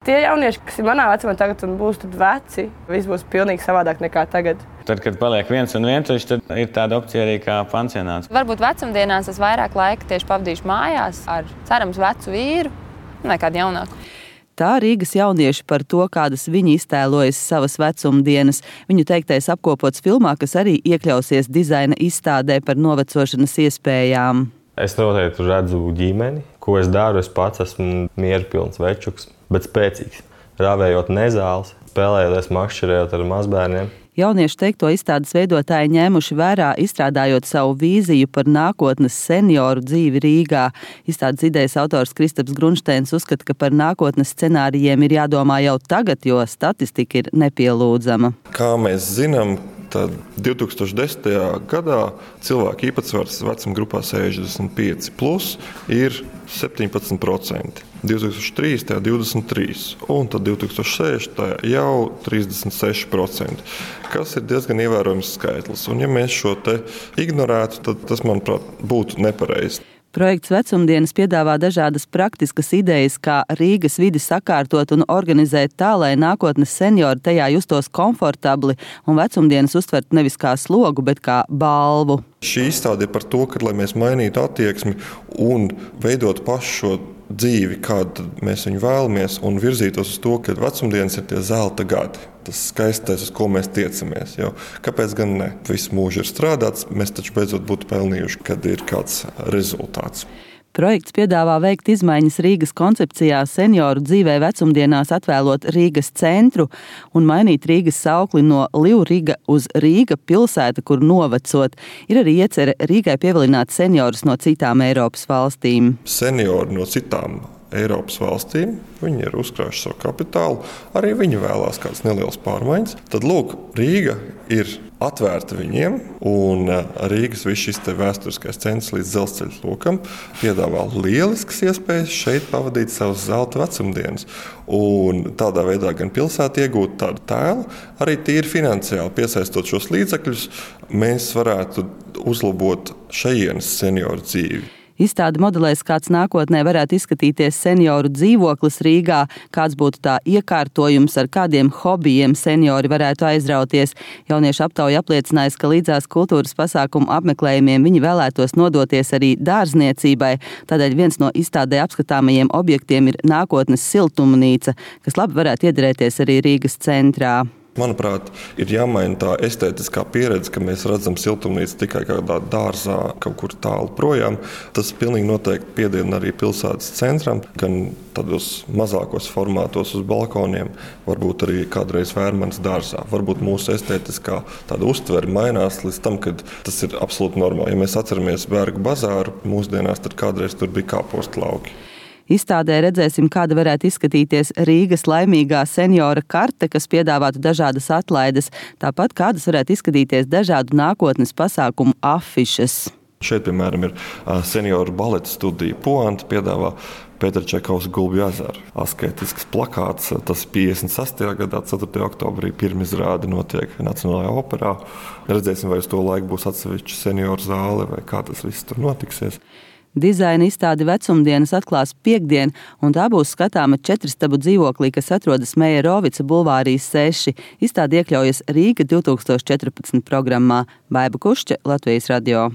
Tie jaunieši, kas ir manā vecumā tagad un būs tad veci, viss būs pilnīgi savādāk nekā tagad. Tad, kad paliek viens un vientuļš, tad ir tāda opcija arī kā pansionāts. Varbūt vecumdienās es vairāk laika tieši pavadīšu mājās ar cerams vecu vīru nekā jaunāku. Tā Rīgas jaunieši par to, kādas viņi iztēlojas savas vecumdienas. Viņu teiktais apkopots filmā, kas arī iekļausies dizaina izstādē par novecošanas iespējām. Es noteikti redzu ģimeni, ko es daru. Es pats esmu mierpilns večuks, bet spēcīgs. Rāvējot nezāles, spēlējoties, makšķerējot ar mazbērniem. Jauniešu teikto izstādes veidotāji ņēmuši vērā, izstrādājot savu vīziju par nākotnes senioru dzīvi Rīgā. Izstādes idejas autors Kristaps Grunšteins uzskata, ka par nākotnes scenārijiem ir jādomā jau tagad, jo statistika ir nepielūdzama. Kā mēs zinām, tad 2010. gadā cilvēku īpatsvars vecuma grupā 65 plus ir 17%. 2003. 23% un tad 2006. jau 36%, kas ir diezgan ievērojams skaitlis. Un ja mēs šo te ignorētu, tad tas, manuprāt, būtu nepareizi. Projekts Vecumdienas piedāvā dažādas praktiskas idejas, kā Rīgas vidi sakārtot un organizēt tā, lai nākotnes seniori tajā justos komfortabli un vecumdienas uztvert nevis kā slogu, bet kā balvu. Šī izstāde ir par to, ka, lai mēs mainītu attieksmi un veidot pašu šo dzīvi, kādu mēs viņu vēlamies, un virzītos uz to, ka vecumdienas ir tie zelta gadi. Tas skaistais, uz ko mēs tiecamies. Jo, kāpēc gan ne? Visu mūžu ir strādāts, mēs taču beidzot būtu pelnījuši, kad ir kāds rezultāts. Projekts piedāvā veikt izmaiņas Rīgas koncepcijā senioru dzīvē vecumdienās atvēlot Rīgas centru un mainīt Rīgas saukli no Livriga uz Rīga pilsēta, kur novecot. Ir arī iecerē Rīgai pievilināt seniorus no citām Eiropas valstīm. Seniori no citām Eiropas valstīm, viņi ir uzkrājuši savu kapitālu, arī viņi vēlās kādas nelielas pārmaiņas. Tad, lūk, Rīga ir atvērta viņiem, un Rīgas viss šis te vēsturiskais centrs līdz dzelzceļa lokam piedāvā lieliskas iespējas šeit pavadīt savas zelta vecumdienas. Un tādā veidā gan pilsēta iegūt tādu tēlu, arī tīri finansiāli piesaistot šos līdzekļus, mēs varētu uzlabot šejienes senioru dzīvi. Izstāde modelēs, kāds nākotnē varētu izskatīties senioru dzīvoklis Rīgā, kāds būtu tā iekārtojums, ar kādiem hobijiem seniori varētu aizrauties. Jauniešu aptauja apliecinājis, ka līdzās kultūras pasākumu apmeklējumiem viņi vēlētos nodoties arī dārzniecībai. Tādēļ viens no izstādē apskatāmajiem objektiem ir nākotnes siltumnīca, kas labi varētu iederēties arī Rīgas centrā. Manuprāt, ir jāmaina tā estētiskā pieredze, ka mēs redzam siltumnīcu tikai kādā dārzā, kaut kur tālu projām. Tas pilnīgi noteikti piediena arī pilsētas centram, gan tādos mazākos formātos uz balkoniem, varbūt arī kādreiz Vērmanas dārzā. Varbūt mūsu estētiskā tāda uztvere mainās līdz tam, kad tas ir absolūti normāli. Ja mēs atceramies Bergu bazāru mūsdienās, tad kādreiz tur bija kāpostu lauki. Izstādē redzēsim, kāda varētu izskatīties Rīgas laimīgā seniora karte, kas piedāvātu dažādas atlaides, tāpat kādas varētu izskatīties dažādu nākotnes pasākumu afišas. Šeit, piemēram, ir senioru baleta studija Poanta, piedāvā Pētera Čekovas Gulbju ezeru. Asketisks plakāts, tas 56. gadā, 4. oktobrī, pirmizrāde notiek Nacionālajā operā. Redzēsim, vai uz to laiku būs atsevišķa senioru zāle vai kā tas viss tur notiksies. Dizaina izstāde Vecumdienas atklās piektdien, un tā būs skatāma 4-stabu dzīvoklī, kas atrodas Mejerovica bulvārī 6. Izstāde iekļaujas Rīga 2014 programmā. Baiba Kušķe, Latvijas radio.